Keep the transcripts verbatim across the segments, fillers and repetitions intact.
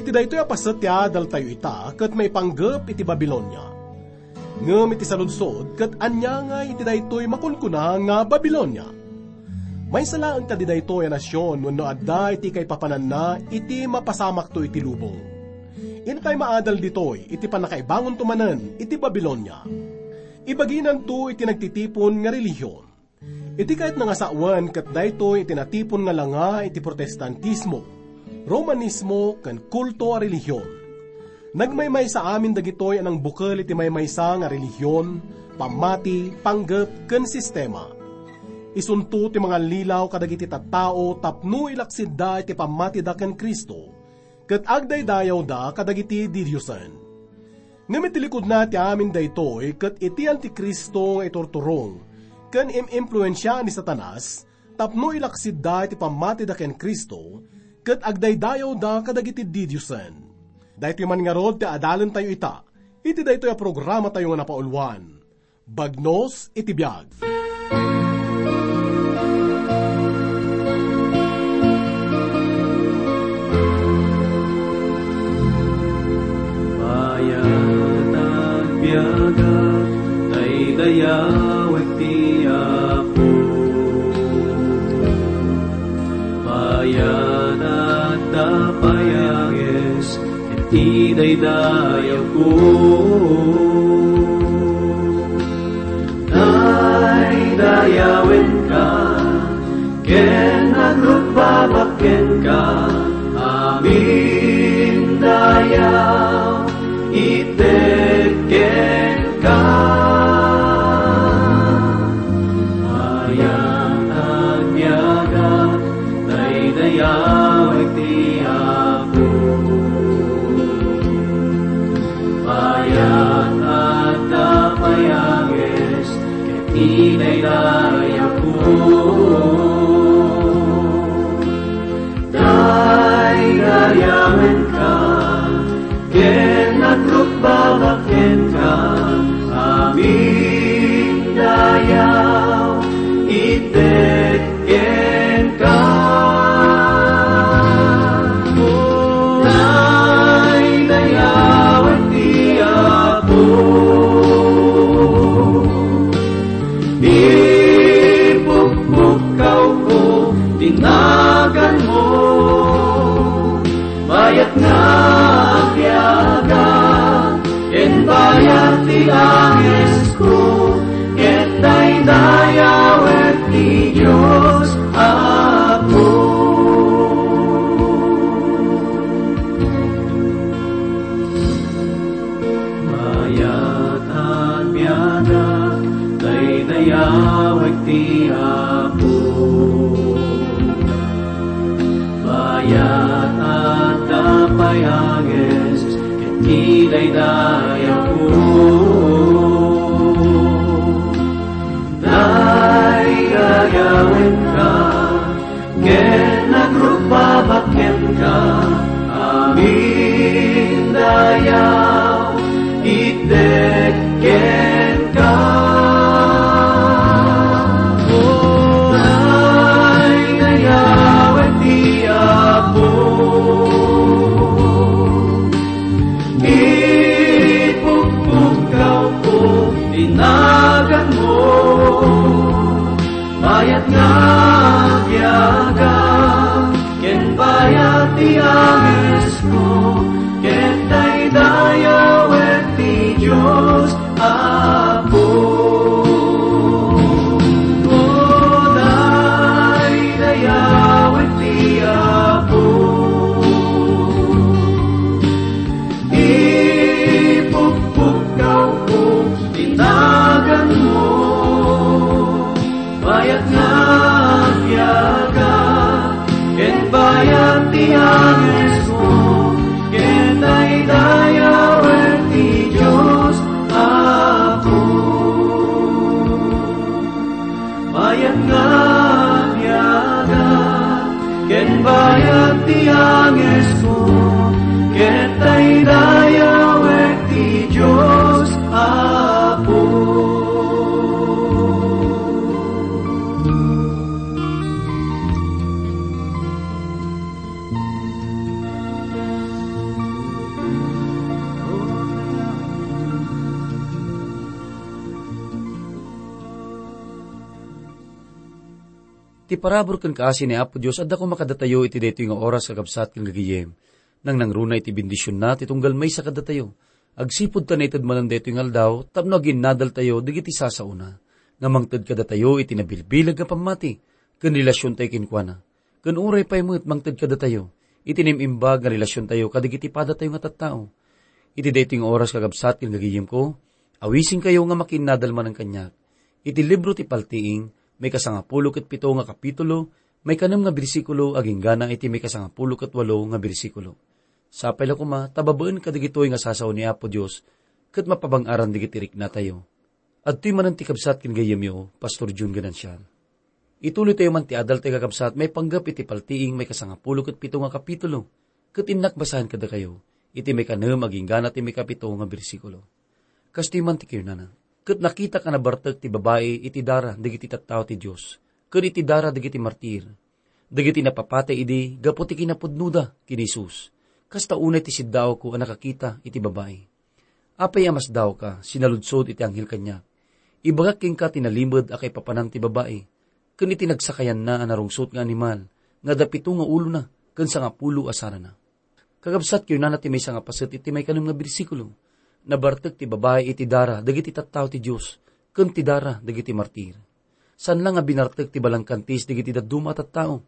Daytoy a paset ti adaltayo ita ket maipanggep iti Babilonia. Ngem iti saludsod, ket ania ngay iti daytoy makunkuna nga Babilonia? Maysa laeng kadi daytoy a nasion wenno adda iti kaipapananna iti mapasamakto iti lubong? Intay maadal ditoy iti pannakaibangonto manen iti Babilonia. Ibaginanto iti nagtitipon nga relihion. Iti kayatna nga sawen, ket daytoy iti natipon nga langa iti Protestantismo, Romanismo, ken kulto a relihion. Nagmaymaysa amin dagitoy a nangbukel iti maymaysa nga relihion, pammati, panggep, ken sistema. Isunto ti mangallilaw kadagiti tattao tapno ilaksidda iti pammatida ken Cristo, ket agdaydayawda kadagiti didiosen. Ngem iti likudna ti amin daytoy ket iti Antikristo nga iturturong ken im-impluensia ni Satanas tapno ilaksidda iti pammatida ken Cristo ket agdaydayawda kadagiti didiosen. Daytoy man ngarud ti adalentayo ita iti daytoy a programatayo nga napauluan, Bagnos iti Biag. Bayat agbiagak, daydayawek ti Apo. Bayat agdapay a ges, ket idaydayawko. Daydayawenka, ken agrukbabak kenka, amin dayaw, ited kenka. Mayat agbiagak, daydayawek ti Apo. Mayat agdapay a ges, ket idaydayawko. Daydayawenka, ken agrukbabak kenka, amin dayaw, ited kenka. Daydayawen ti Apo. Ipukpukkawko ti naganmo, bayat nga agbiagak, ken bayat ti angesko, ket daydayawek ti Dios Apo. Mayat agbiagak, daydayawek ti Apo. Mayat agdapay a ges, ket idaydayawko. Daydayawenka, ken agrukbabak kenka, amin dayaw, ited kenka. O daydayawen ti Apo. Ipukpukkawko ti naganmo, bayat nga agbiagak, ken bayat ti angesko, ket daydayawek ti Dios Apo. O daydayawek ti Apo. Ipukpukkawko ti naganmo, bayat nga agbiagak, ken bayat ti angesko, ket daydayawek ti Dios Apo. Bayat nga agbiagak, ken bayat ti angesko, ket daydayawek ti Dios Apo. Ti parabur ken kaasi ni Apo Dios adda koma kadatayo iti daytoy nga oras, kakabsat ken gagayem. Nangnangruna iti bendisionna ti tunggal maysa kadatayo. Agsipud ta naited manen daytoy nga aldaw tapno aginnadaltayo dagiti sasaona nga mangted kadatayo iti nabilbileg nga pammati ken relasiontayo kenkuana. Ken uray pay met mangted kadatayo iti naim-imbag nga relasiontayo kadagiti padatayo nga tattao. Iti daytoy nga oras, kakabsat ken gagayemko, awisenkayo nga makiinnadal manen kaniak. Iti libro ti Paltiing, maikasangapulo ket pito nga kapitulo, maikanem nga bersikulo, aginggana iti maikasangapulo ket walo nga bersikulo. Sapay la koma ta babaen kadagitoy nga sasao ni Apo Dios ket mapabang-aran dagiti riknatayo. Adtoy manen ti kabsat ken gayyemyo, Pastor Jun Ganancial. Ituloytayo man ti adaltayo, kakabsat, maipanggep iti Paltiing maikasangapulo ket pito nga kapitulo, ket innak basaen kadakayo iti maikanem aginggana ti maikapito nga bersikulo. Kastoy man ti kinunana, "Ket nakitak a nabartek ti babai iti dara dagiti tattao ti Dios, ken iti dara dagiti martir, dagiti napapatay idi gapu ti kinapudnoda ken ni Jesus. Kasta unay ti siddaawko a nakakita iti babai." Apay a masdaawka, sinaludsod iti anghel kaniak. Ibagak kenka ti nalimed a kaipapanan ti babai, ken iti nagsakayanna a narungsot nga animal, nga adda pito nga ulona, ken sangapulo a sarana. Kakabsat, kinunana ti maysa nga paset iti maikanem nga bersikulo, "Nabartek ti babai iti dara dagiti tattao ti Dios, ken ti dara dagiti martir." Saan la nga binartek ti balangkantis dagiti dadduma a tattao,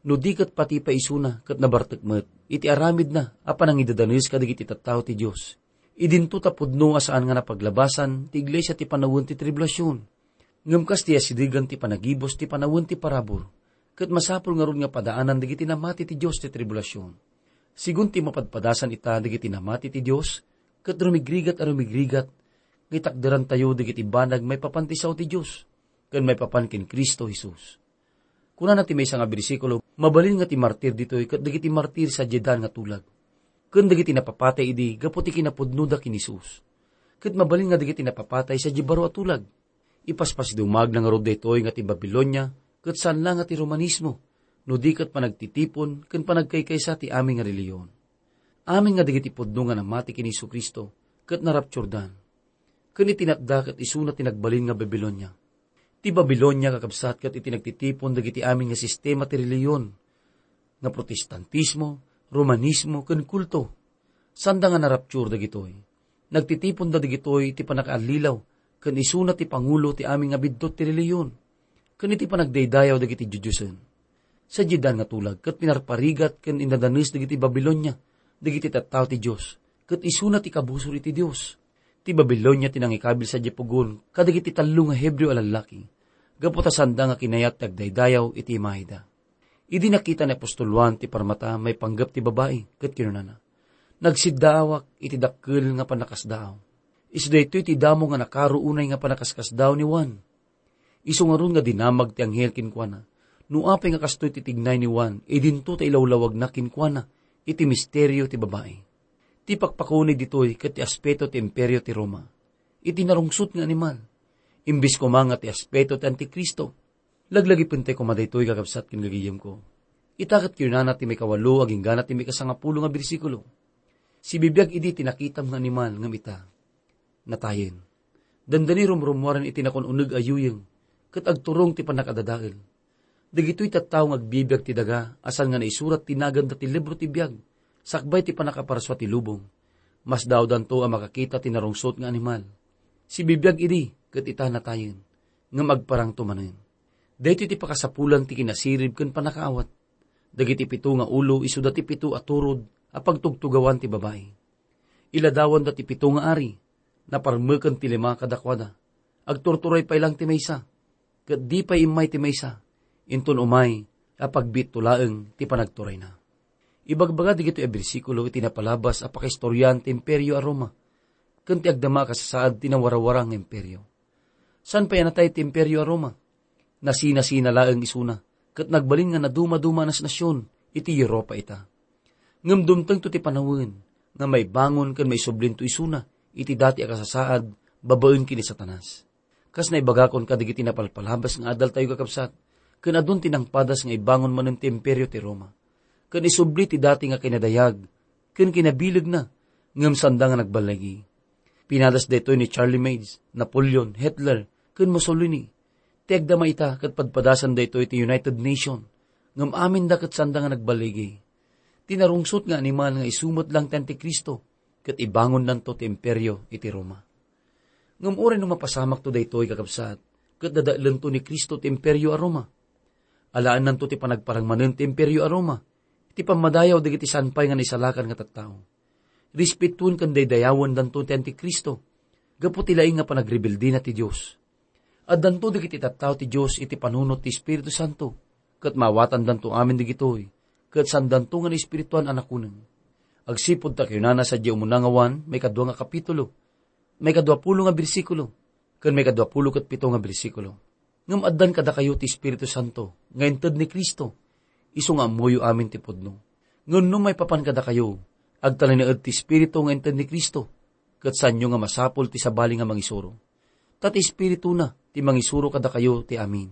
no di ket pati pay isuna ket nabartek met iti aramidna a panangidadanes kadagiti tattao ti Dios. Idinto ta pudno a saan nga napaglabasan ti iglesia ti panawen ti tribulasion. Ngem kas ti asidegan ti panagibus ti panawen ti parabur, ket masapul ngarud nga padaanan dagiti namati ti Dios ti tribulasion. Sigun ti mapadpadasan ita dagiti namati ti Dios, ket rumigrigat a rumigrigat nga itakderantayo dagiti banag maipapan ti sao ti Dios, ken maipapan ken Cristo Jesus. Kunana ti maysa nga bersikulo, "Mabalin nga ti martir ditoy ket dagiti martir sadiay daan nga tulag, ken dagiti napapatay idi gapu ti kinapudnoda ken ni Jesus." Ket mabalin nga dagiti napapatay sadiay baro a tulag. Ipaspasdumagna ngarud daytoy nga ti Babilonia ket saan la nga ti Romanismo, no di ket panagtitipon ken panagkaykaysa ti amin nga relihiyon. Amin nga dagiti pudno nga namati ken ni Jesu-Cristo ket narapturdan. Ken iti natda ket isuna ti nagbalin nga Babilonia. Ti Babilonia, kakabsat, ket iti nagtitipon dagiti amin nga sistema ti relihiyon, nga Protestantismo, Romanismo, ken kulto. Sanda nga naraptur dagitoy. Nagtitiponda dagitoy iti pannakaallilaw, ken isuna ti pangulo ti amin nga biddut ti relihiyon, ken iti panagdaydayaw dagiti diodiosen. Sadiay daan nga tulag ket pinarparigat ken innadanes dagiti Babilonia dagiti tattao ti Dios, ket isuna ti kabusor iti Dios. Ti Babilonia ti nangikabil sadiay pugon kadagiti tallo nga Hebreo a lallaki, gapu ta sanda nga kinayat ti agdaydayaw iti imayda. Idi nakita ni apostol Juan ti parmata maipanggep ti babai ket kinunana, "Nagsiddaawak iti dakkel nga pannakasdaaw. Isu daytoy ti damo nga nakaro unay nga pannakaskasdaaw ni Juan." Isu ngarud nga dinamag ti anghel kenkuana, no apay nga kastoy ti tignay ni Juan, idinto ta ilawlawagna kenkuana iti misterio ti babai. Ti pakpakuni ditoy ket ti aspeto ti Imperio ti Roma, iti narungsot nga animal, imbes koma nga ti aspeto ti Antikristo. Laglagipentay koma daytoy, kakabsat ken gagayemko. Ita ket kinunana ti maikawalo aginggana ti maikasangapulo nga bersikulo, "Sibibiag idi ti nakitam nga animal ngem ita, natayen. Dandani rumrummuaren iti nakun-uneg a yuyeng, ket agturong ti pannakadadael. Dagitoy tattao nga agbibiag ti daga a saan nga naisurat ti naganda ti libro ti biag, sakbay ti pannakaparsua ti lubong. Masdaawdanto a makakita ti narungsot nga animal. Sibibiag idi, ket ita natayen, ngem agparangto manen." Daytoy ti pakasapulan ti kinasirib ken pannakaawat. Dagiti pito nga ulo isuda ti pito a turod a pagtugtugawan ti babai. Iladawanda ti pito nga ari, naparmeken ti lima kadakuada. Agturturay pay laeng ti maysa, ket di pay immay ti maysa, inton umay a pagbiitto laeng ti panagturayna. Ibagbaga dagitoy a bersikulo iti napalabas a pakaistoriaan ti Imperio a Roma, ken ti agdama a kasasaad ti nawarawara nga imperio. Saan pay a natay ti Imperio a Roma? Nasinasina laeng isuna, ket nagbalin nga nadumaduma a nasnasion iti Europa ita. Ngem dumtengto ti panawen nga maibangon ken maisublinto isuna iti dati a kasasaad babaen ken ni Satanas. Kas naibagakon kadagiti napalpalabas nga adaltayo, kakabsat, ken adun ti nangpadas nga ibangon manen ti Imperio ti Roma, ken isubli ti dati nga kinadayag ken kinabilegna, ngem sanda nga nagballigi. Pinadas daytoy ni Charlemagne, Napoleon, Hitler, ken Mussolini. Ti agdama ita ket padpadasan daytoy ti United Nation, ngem aminda ket sanda nga nagballigi. Ti narungsot nga animal nga isu met lang ti Antikristo, ket ibangonnanto ti imperio iti Roma. Ngem uray no mapasamakto daytoy, kakabsat, ket dadaelento ni Cristo ti imperio a Roma. Alaennanto ti panagparang manen ti imperio a Roma, iti pammadayaw dagiti saan pay nga naisalakan nga tattao. Respetuen ken daydayawendanto ti Antikristo, gapu ti laing nga panagrebeldina ti Dios. Addanto dagiti tattao ti Dios iti panunot ti Espiritu Santo, ket maawatandanto amin dagitoy, ket saandanto nga naespirituan a nakuneng. Agsipud ta kinunana sadiay umuna nga Juan, maikadua nga kapitulo, maikadua pulo nga bersikulo, ken maikadua pulo ket pito nga bersikulo. Ngem addan kadakayo ti Espiritu Santo nga inted ni Cristo, isu nga ammoyo amin ti pudno. Ngem no maipapan kadakayo, agtalinaed ti Espiritu nga inted ni Cristo, ket saanyo nga masapul ti sabali nga mangisuro. Ta ti Espirituna ti mangisuro kadakayo ti amin.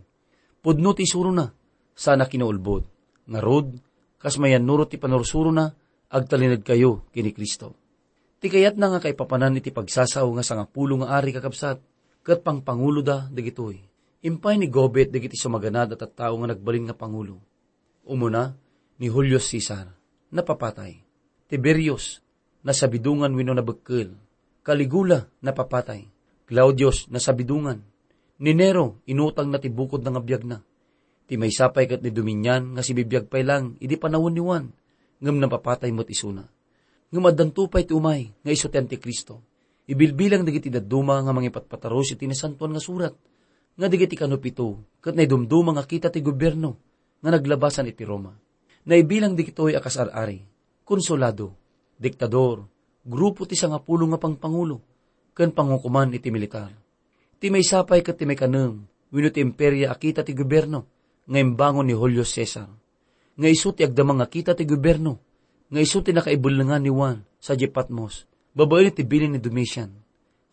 Pudno ti isurona, saan a kinaulbod. Ngarud, kas mayannurot ti panursurona, agtalinedkayo ken ni Cristo. Ti kayatna nga kaipapanan iti pagsasao nga sangapulo nga ari, kakabsat, ket pangpanguloda dagitoy. Impay ni Gobet dagiti sumaganad a tattao nga nagbalin nga pangulo. Umuna, ni Julio Cesar, napapatay. Tiberius, nasabidongan wenno nabekkel. Caligula, napapatay. Claudius, nasabidongan. Ni Nero, inutangna ti bukodna nga biagna. Ti maysa pay ket ni Domitian nga sibibiag pay lang idi panawen ni Juan, ngem napapatay met isuna. Ngem addanto pay ti umay nga isu ti Antikristo. Ibilbilang dagiti dadduma nga mangipatpataros iti Nasantoan nga Surat, nga dagiti kano pito ket naidumduma nga kita ti gobierno nga naglabasan iti Roma. Naibilang dagitoy a kas ar-ari, konsulado, diktador, grupo ti sangapulo nga pangpangulo, ken pangukoman iti militar. Ti maysa pay ket ti maikanem wenno ti imperia a kita ti gobierno nga imbangon ni Julio Cesar, nga isu ti agdama nga kita ti gobierno, nga isu ti nakaibellengan ni Juan sadiay Patmos babaen iti bilin ni Domitian,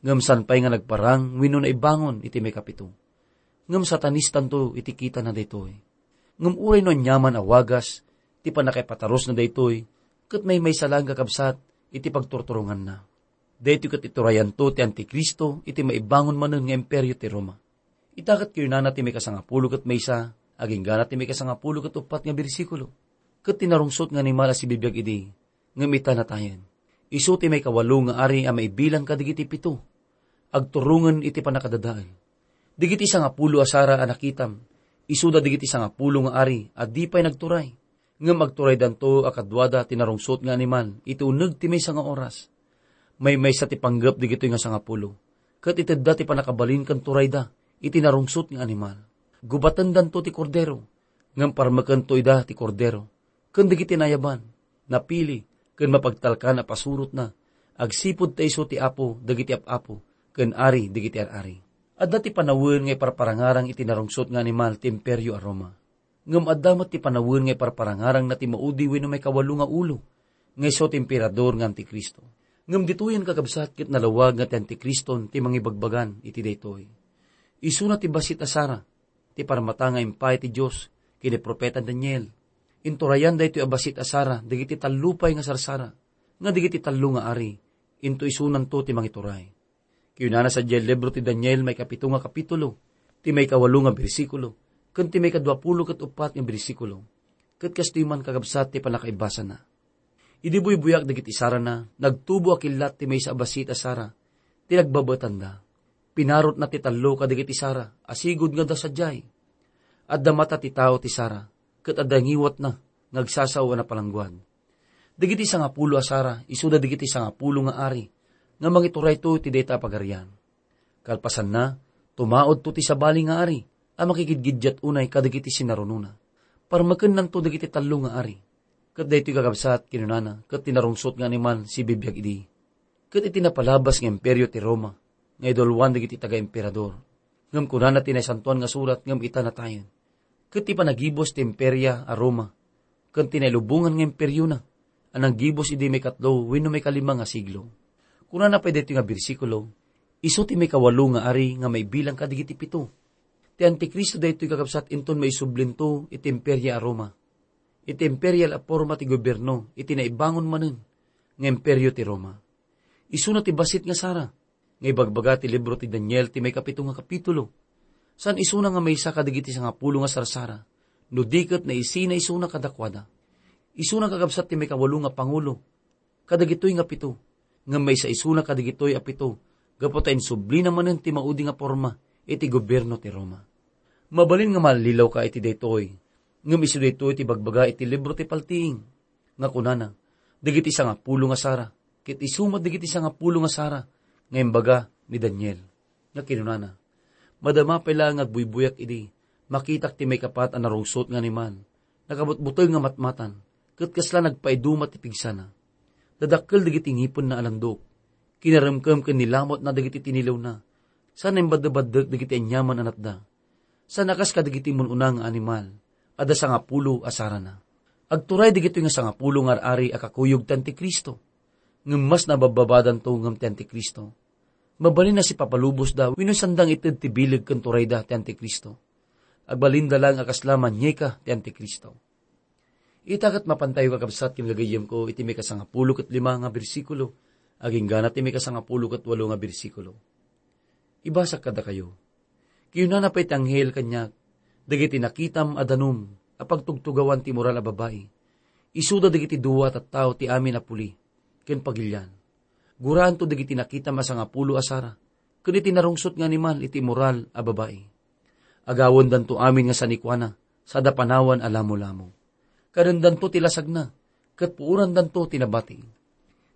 ngem saan pay nga nagparang wenno naibangon iti maikapito. Ngem satanistanto iti kitana daytoy. Ngem uray no aniaman a wagas ti pannakaipatarusna daytoy, ket maymaysa laeng, kakabsat, iti pagturturonganna. Daytoy ket iturayanto ti Antikristo iti maibangon manen nga imperio ti Roma. Ita ket kinunana ti maikasangapulo ket maysa, agingga ti maikasangapulo ket uppat nga bersikulo. Ket ti narungsot nga animal a sibibiag idi, ngem ita natayen. Isu ti maikawalo nga ari a maibilang kadagiti pito. Agturongen iti pannakadadael. Dagiti sangapulo a sara a nakitam, isuda dagiti sangapulo nga ari a di pay nagturay. Ngem agturaydanto a kaduada ti narungsot nga animal iti uneg ti maysa nga oras. Maymaysa ti panggep dagitoy nga sangapulo, ket itedda ti pannakabalin ken turayda iti narungsot nga animal. Gubatendanto ti Kordero, ngem parmekento ida ti Kordero ken dagiti nayaban, napili, ken mapagtalkan a pasurotna, agsipud ta isu ti Apo dagiti ap-apo ken Ari dagiti ar-ari. Adda ti panawen nga iparparangarang iti narungsot nga animal ti Imperio a Roma. Ngem adda met ti panawen nga iparparangarangna ti maudi wenno maikawalo nga ulo, nga isu ti emperador nga Antikristo. Ngem ditoyen, kakabsat, ket nalawag nga ti Antikriston ti mangibagbagan iti daytoy. Isuna ti bassit a sara, ti parmata nga impay ti Dios ken ni profeta Daniel. Inturayan daytoy a bassit a sara dagiti tallo pay nga sarsara, nga dagiti tallo nga ari, intoy isunanto ti mangituray. Kinunana sadiay libro ti Daniel, maikapito nga kapitulo, ti maikawalo nga bersikulo, ken ti maikadua pulo ket uppat nga bersikulo. Ket kastoy man, kakabsat, ti pannakaibasana. Idi buybuyak dagiti sarana, nagtubo a killat ti maysa a bassit a sara ti nagbabaetanda. Pinarotna ti tallo kadagiti sara a sigud nga adda sadiay. Adda mata ti tao ti sara, ket adda ngiwatna nga agsasao a napalangguad. Dagiti sangapulo a sara, isuda dagiti sangapulo nga ari nga mangiturayto iti dayta a pagarian. Kalpasanna, tumaudto ti sabali nga ari a makigidgiddiat unay kadagiti sinarunona. Parmekennanto dagiti tallo nga ari. Ket daytoy, kakabsat, kinunana, ket ti narungsot nga animal sibibiag idi. Ket iti napalabas nga imperio ti Roma, nga idulwan dagiti taga-emperador. Ngem kunana ti Naisantoan nga Surat, ngem ita natayen. Ket ti panagibus ti imperia a Roma, ken ti nailubongan nga imperiona, a nanggibus idi maikatlo wenno maikalima nga siglo. Kunana pay daytoy nga bersikulo, isu ti maikawalo nga ari nga maibilang kadagiti pito. Ti Antikristo daytoy, kakabsat, inton maisublinto iti imperia a Roma. Iti imperial a forma ti gobierno iti naibangon manen nga imperio ti Roma. Isuna ti bassit nga sara, nga ibagbaga ti libro ti Daniel ti maikapito nga kapitulo. Saan isuna nga maysa kadagiti sangapulo nga sarsara, no di ket naisina isuna kadakuada. Isuna kakabsat ti maikawalo nga pangulo kadagitoy nga pito, ngem maysa isuna kadagitoy a pito gapu ta insublina manen ti maudi nga porma iti gobierno ti Roma. Mabalin nga mallilawka iti daytoy, ngem isu daytoy ti bagbaga iti libro ti Paltiing, nga kunana, dagiti sangapulo nga sara, ket isu met dagiti sangapulo nga sara nga imbaga ni Daniel, nga kinunana, madama pay laeng nga agbuybuyak idi makitak ti maikapat a narungsot nga animal, nakabutbuteng nga matmatan, ket kasla nagpaiduma ti pigsana. Dadakkel dagiti ngipenna a landok, kinaremkem ken nilamutna dagiti tinilewna, saan imbaddebaddek dagiti aniaman a natda. Saan a kas kadagiti mun-una nga animal, adda sangapulo a sarana. Agturay dagitoy nga sangapulo nga ar-ari a kakuyog ti Antikristo. Ngem mas nababbabadanto ngem ti Antikristo. Mabalin a sipapalubosda wenno sanda nga ited ti bileg ken turayda ti Antikristo. Agbalinda laeng a kasla manieka ti Antikristo. Ita ket mapantayo, kakabsat ken gagayyemko, iti maikasangapulo ket lima nga bersikulo, aginggana ti maikasangapulo ket walo nga bersikulo. Ibasak kadakayo. Kinunana pay ti anghel kaniak, dagiti nakitam a danum a pagtugtugawan ti immoral a babai, isuda dagiti dua a tattao ti amin a puli ken pagilian. Guraanto dagiti nakitam a sangapulo a sara ken iti narungsot nga animal iti immoral a babai. Agawendanto amin nga sanikuana, sada panawan a lamolamo. Kadendanto ti lasagna, ket puorandanto ti nabati.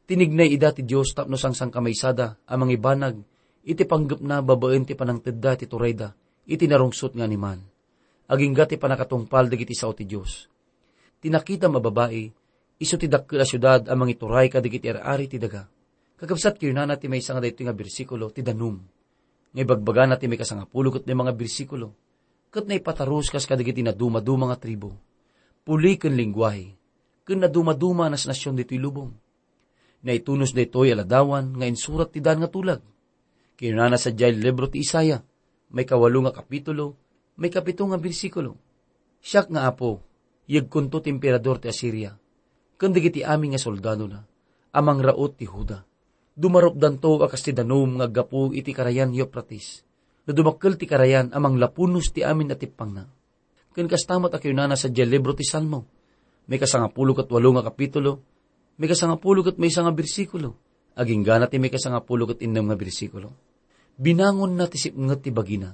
Tinignay ida ti Dios tapno sangsangkamaysada a mangibanag iti panggepna babaen ti panangtedda ti turayda iti narungsot nga animal, agingga ti pannakatungpal dagiti sao ti Dios. Ti nakitam a babai, isu ti dakkel a siudad a mangituray kadagiti ar-ari ti daga. Kakabsat, kinunana ti maysa nga daytoy nga bersikulo ti danum, nga ibagbagana ti maikasangapulo ket lima nga bersikulo, ket naipatarus kas kadagiti nadumaduma nga tribu, puli ken lengguahe, ken nadumaduma a nasnasion ditoy lubong. Naitunos daytoy a ladawan nga insurat ti daan nga tulag. Kinunana sadiay libro ti Isaiah, maikawalo nga kapitulo, maikapito nga bersikulo, "Siak nga Apo, yegkonto ti emperador ti Asiria, ken dagiti amin nga soldadona, a mangraut ti Juda. Dumarupdanto a kas ti danum nga aggapu iti karayan Eufrates, no dumakkel ti karayan a manglapunos ti amin a tippangna." Ken kasta met a kinunana sadiay libro ti Salmo, maikasangapulo ket walo nga kapitulo, maikasangapulo ket maysa nga bersikulo, aginggana ti maikasangapulo ket innem nga bersikulo. Binangonna ti sipnget ti bagina,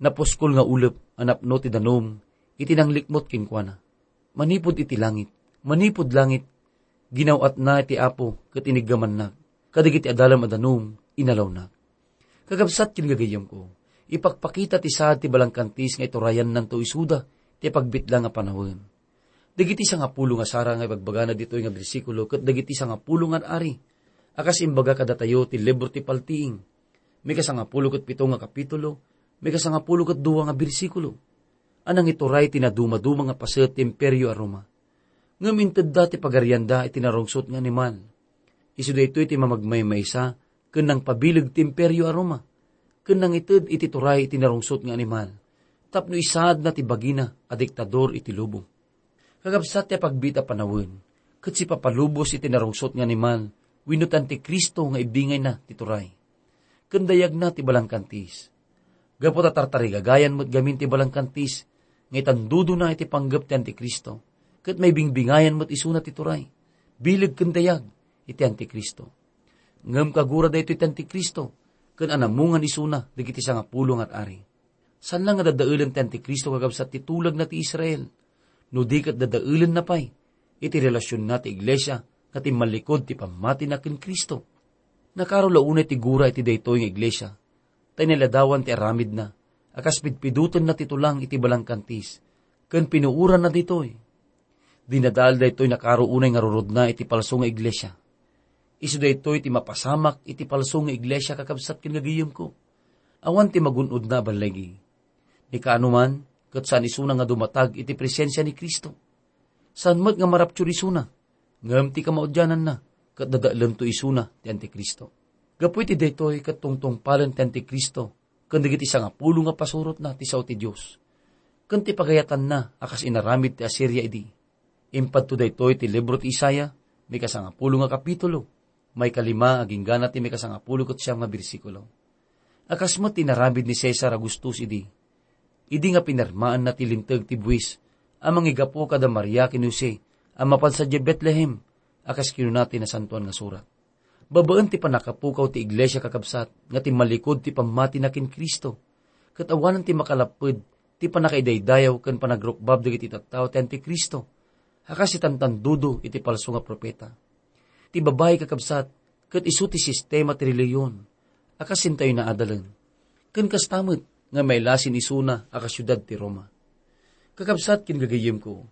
napuskol nga ulep a napno ti danum iti nanglikmut kenkuana. Manipud iti langit, manipud langit, ginaw-atna ti Apo ket iniggamannak, kadagiti adalem a danum, inalawnak. Kakabsat ken gagayyemko, ipakpakita ti saad ti balangkantis nga iturayannanto isuda ti pagbitlang a panawen. Dagiti sangapulo nga sara nga ibagbagana ditoy nga bersikulo ket dagiti sangapulo nga ar-ari a kas imbaga kadatayo ti libro ti Paltiing, maikasangapulo ket pito nga kapitulo, maikasangapulo ket dua nga bersikulo, a nangituray ti nadumaduma nga paset ti Imperio a Roma. Ngem intedda ti pagarianda iti narungsot nga animal. Isu daytoy ti mamagmaymaysa ken nangpabileg ti Imperio a Roma, ken nangited iti turay iti narungsot nga animal, tapno isaadna ti bagina a diktador iti lubong. Kakabsat ti apagbiit a panawen, ket sipapalubos iti narungsot nga animal wenno ti Antikristo nga ibingayna ti turay. Ken dayagna ti balangkantis. Gapu ta tartarigagayan met gamin ti balangkantis nga itandudona iti panggep ti Antikristo, ket maibingbingayan met isuna ti turay, bileg ken dayag iti Antikristo. Ngem kagura daytoy ti Antikristo, ken anamungan isuna dagiti sangapulo nga ar-ari. Saan la nga dadaelen ti Antikristo, kakabsat, ti tulagna ti Israel, no di ket dadaelenna pay iti relasionna ti iglesia nga timmallikud ti pammatina ken Cristo. Nakaro la unay ti gura iti daytoy nga iglesia, ta inaladawan ti aramidna a kas pidpidutenna ti tulang iti balangkantis ken pinuoranna ditoy. Dinadael daytoy nakaro unay nga rurodna iti palso nga iglesia. Isu daytoy ti mapasamak iti palso nga iglesia, kakabsat ken gagayyemko. Awan ti magun-odna a balligi. Ni kaano man, ket saan isuna nga dumatag iti presensia ni Cristo. Saan met nga maraptur isuna, ngem ti kamaudiananna, ket dadaelento isuna ti Antikristo. Gapu iti daytoy ket tungtungpalen ti Antikristo ken dagiti sangapulo nga pasurotna ti sao ti Dios, ken ti pagayatanna a kas inaramid ti Asiria idi. Impadto daytoy ti libro ti Isaiah, maikasangapulo nga kapitulo, maikalima agingga ti maikasangapulo ket siam nga bersikulo. A kas met ti inaramid ni Cesar Augustus idi, idi nga pinirmaanna ti linteg ti buis a mangigapu kada Maria ken Jose a mapan sadiay Betlehem, a kas kinuna ti Nasantoan nga Surat. Babaen ti pannakapukaw ti iglesia, kakabsat, nga timmalikod ti pammatina ken Cristo, ket awanen ti makalapped ti pannakaidaydayaw ken panagrukbab dagiti tattao ti Antikristo, a kas itantandudo iti palso nga profeta. Ti babai, kakabsat, ket isu ti sistema ti relihiyon a kas intayo naadalen. Ken kasta met nga mailasin isuna a kasiudad ti Roma. Kakabsat ken gagayyemko,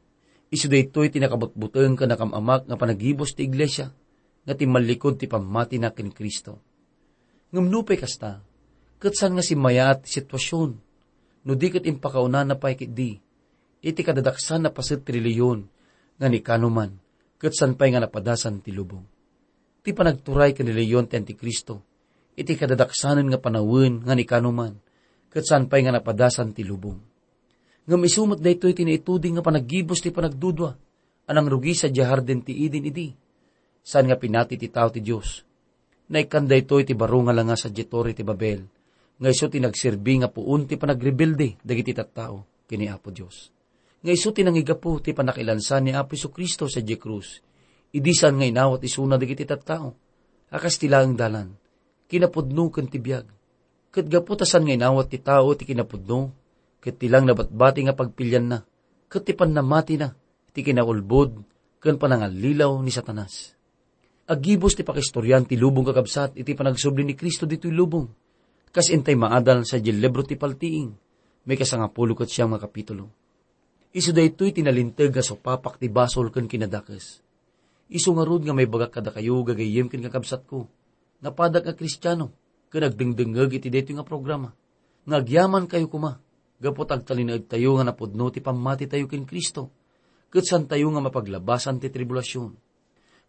isu daytoy ti nakabutbuteng ken nakam-amak nga panagibus ti iglesia nga timmalikod ti pammatina ken Cristo. Ngem nupay kasta, ket saan nga simmayaat ti situasion, no di ket impakaunana pay ketdi iti kadadaksan a paset ti relihiyon nga ni kanuman, ket saan pay nga napadasan ti lubong. Ti panagturay ken relihiyon ti Antikristo iti kadadaksanen nga panawen nga ni kanuman, ket saan pay nga napadasan ti lubong. Ngem isu met daytoy ti naituding nga panagibus ti panagdudua a nangrugi sadiay Hardin ti Eden idi. Saan nga pinati ti tao ti Dios. Naikkan daytoy ti baro nga langa sadiay Torre ti Babel, nga isu ti nagserbi nga puon ti panagrebelde dagiti tattao ken ni Apo Dios. Nga isu ti nangigapu ti pannakailansa ni Apo Jesu-Cristo sadiay krus, idi saan nga inawat isuna dagiti tattao a kas ti laeng dalan, kinapudno ken ti biag. Ket gapu ta saan nga inawat ti tao ti kinapudno, ket ti lang nabatbati nga pagpilianna, ket ti pannamatina, ti kinaulbod ken panangallilaw ni Satanas. Aggibus ti pakaistorian ti lubong, kakabsat, iti panagsubli ni Cristo ditoy lubong, kas intay maadal sadiay libro ti Paltiing, maikasangapulo ket siam nga kapitulo. Isu daytoy ti nalinteg nga supapak ti basol ken kinadakes. Isu ngarud nga maibagak kadakayo, gagayyem ken kakabsatko, nga padak nga Kristiano ken agdengdengngeg iti daytoy nga programa, nga agyamankayo koma, gapu ta agtalinaedtayo nga napudno ti pammatitayo ken Cristo, ket saantayo nga mapaglabasan ti tribulasion.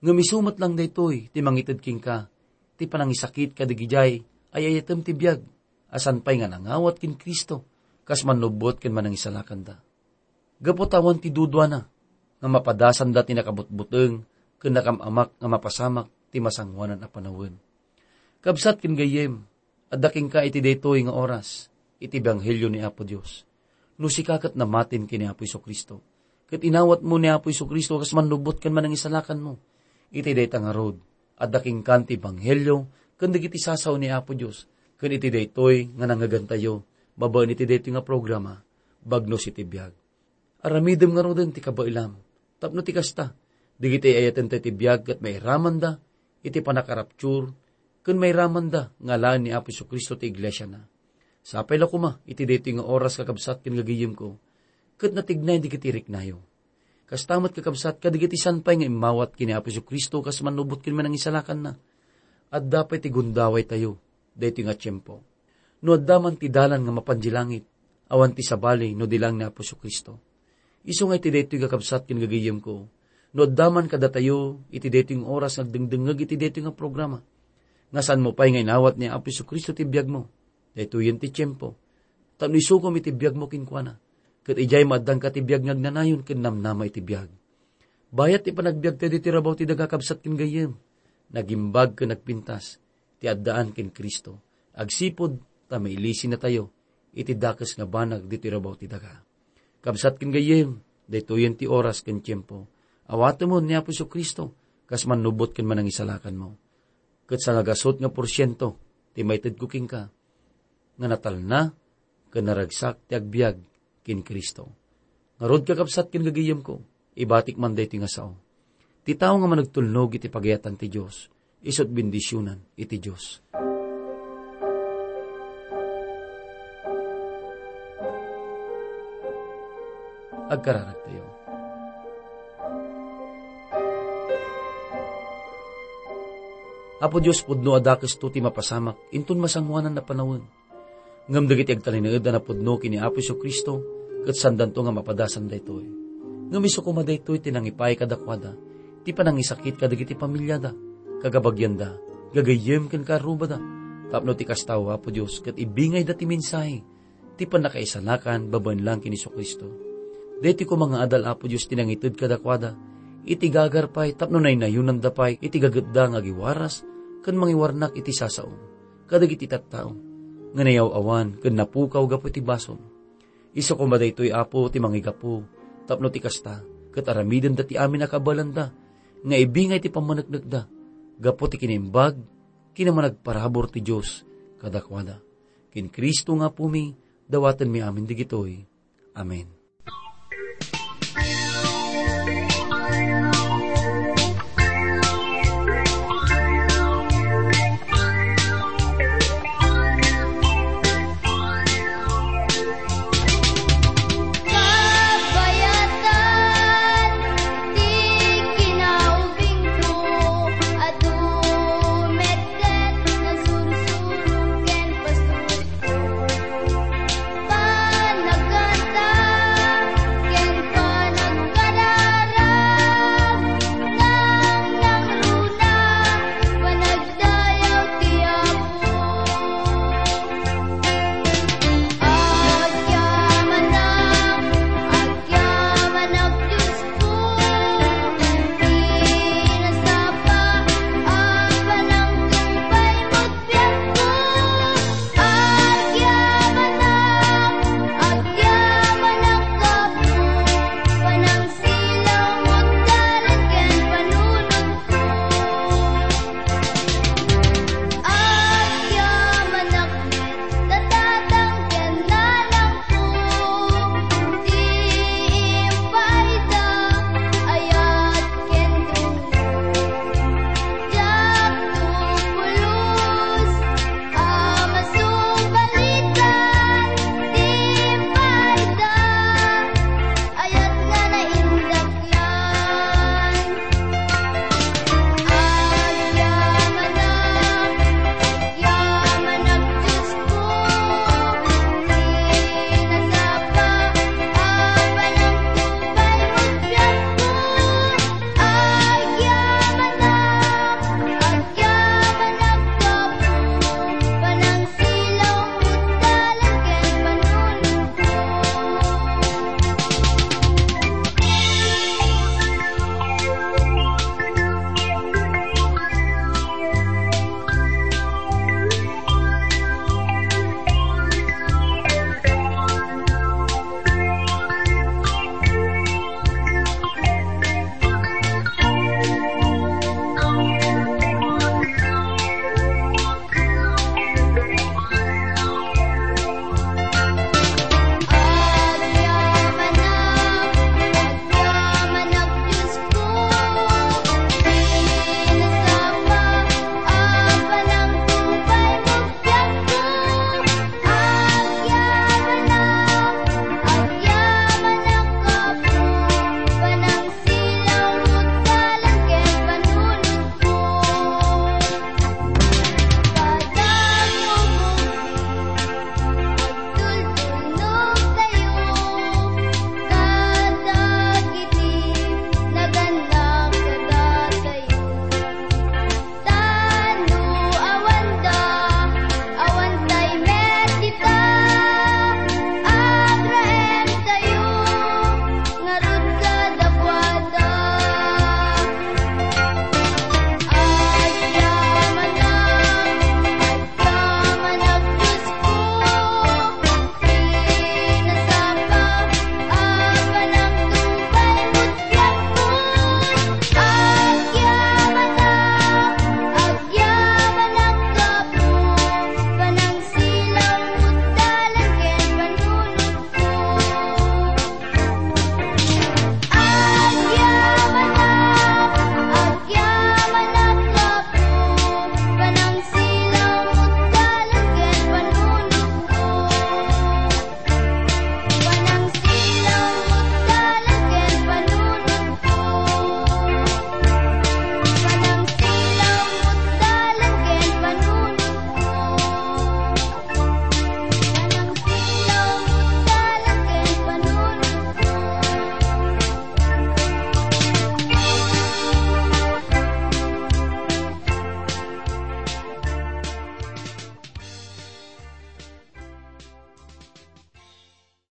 Ngem isu met lang daytoy ti mangited kenka ti panangisakit kadagidiay ay-ayatem ti biag a saan pay nga nangawat ken Cristo kas mannubbot ken manangisalakanda. Gapu ta awan ti duduana nga mapadasanda ti nakabutbuteng ken nakam-amak nga mapasamak ti masangoanan a panawen. Kabsat ken gayyem, adda kenka iti daytoy nga oras iti ebanghelio ni Apo Dios. No sika ket namatin ken ni Apo Jesu-Cristo, ket inawatmo ni Apo Jesu-Cristo kas mannubbot ken manangisalakanmo, iti dayta ngarud, adda kenkan ti ebanghelio ken dagiti sasao ni Apo Dios, ken iti daytoy nga nangngegantayo babaen iti daytoy nga programa, Bagnos iti Biag. Aramidem ngaruden ti kabaelam, tapno ti kasta, dagiti ay-ayatenta iti biag ket mairamanda iti pannakaraptur, ken mairamanda nga alaen ni Apo Jesu-Cristo ti iglesiana. Sapay la koma iti daytoy nga oras, kakabsat ken gagayyemko, ket natignay dagiti riknayo. Kasta met, kakabsat, kadagiti saan pay nga immawat ken ni Apo Jesu-Cristo kas mannubbot ken manangisalakanna, adda pay ti gundawaytayo daytoy nga tiempo. No adda man ti dalan nga mapan di langit, awan ti sabali no di lang ni Apo Jesu-Cristo. Isu nga iti daytoy, kakabsat ken gagayyemko, no adda man kadatayo iti daytoy nga oras nga agdengdengngeg iti daytoy nga programa, nga saanmo pay nga inawat ni Apo Jesu-Cristo ti biagmo, daytoyen ti tiempo, tapno isukom iti biagmo kenkuana, ket idiay maaddanka ti biag nga agnanayon ken namnama iti biag. Bayat ti panagbiagtayo ditoy rabaw ti daga, kabsat ken gayyem, nagimbag ken nagpintas ti addaan ken Cristo, agsipud ta mailisinatayo iti dakes nga banag ditoy rabaw ti daga. Kabsat ken gayyem, daytoyen ti oras ken tiempo. Awatemon ni Apo Jesu-Cristo kas mannubbot ken manangisalakanmo. Ket sangagasut nga porsiento ti maitedko kenka, nga natalna ken naragsak ti agbiag ken Cristo. Ngarud, kakabsat ken gagayyemko, ibatik man daytoy nga sao. Ti tao nga managtulnog iti pagayatan ti Dios, isu't bendisionan iti Dios. Agkararagtayo. Apo Dios, pudno a dakesto ti mapasamak inton masangoanan a panawen. Ngem dagiti agtalinaed a napudno ken ni Apo Jesu-Cristo, ket saandanto nga mapadasan daytoy. Ngem isu koma daytoy ti nangipaay kadakuada ti panangisakit kadagiti pamiliada, kakabagianda, gagayyem ken kaarrubada, tapno ti kasta, Apo Dios, ket ibingayda ti mensahe ti pannakaisalakan babaen lang ken Jesu-Cristo. Daytoy koma nga adal, Apo Dios, ti nangited kadakuada iti gagarpay tapno naynayonanda pay iti gagetda nga agiwaras ken mangiwarnak iti sasaom kadagiti tattao nga nayaw-awan ken napukaw gapu iti basol. Isu koma daytoy, Apo, ti mangigapu, tapno ti kasta, ket aramidenda ti amin a kabaelanda, nga ibingay ti pammaneknekda, gapu ti kinaimbag, ken managparabur ti Dios kadakuada. Ken Cristo nga Apumi, dawatenmi amin digitoy. Amen.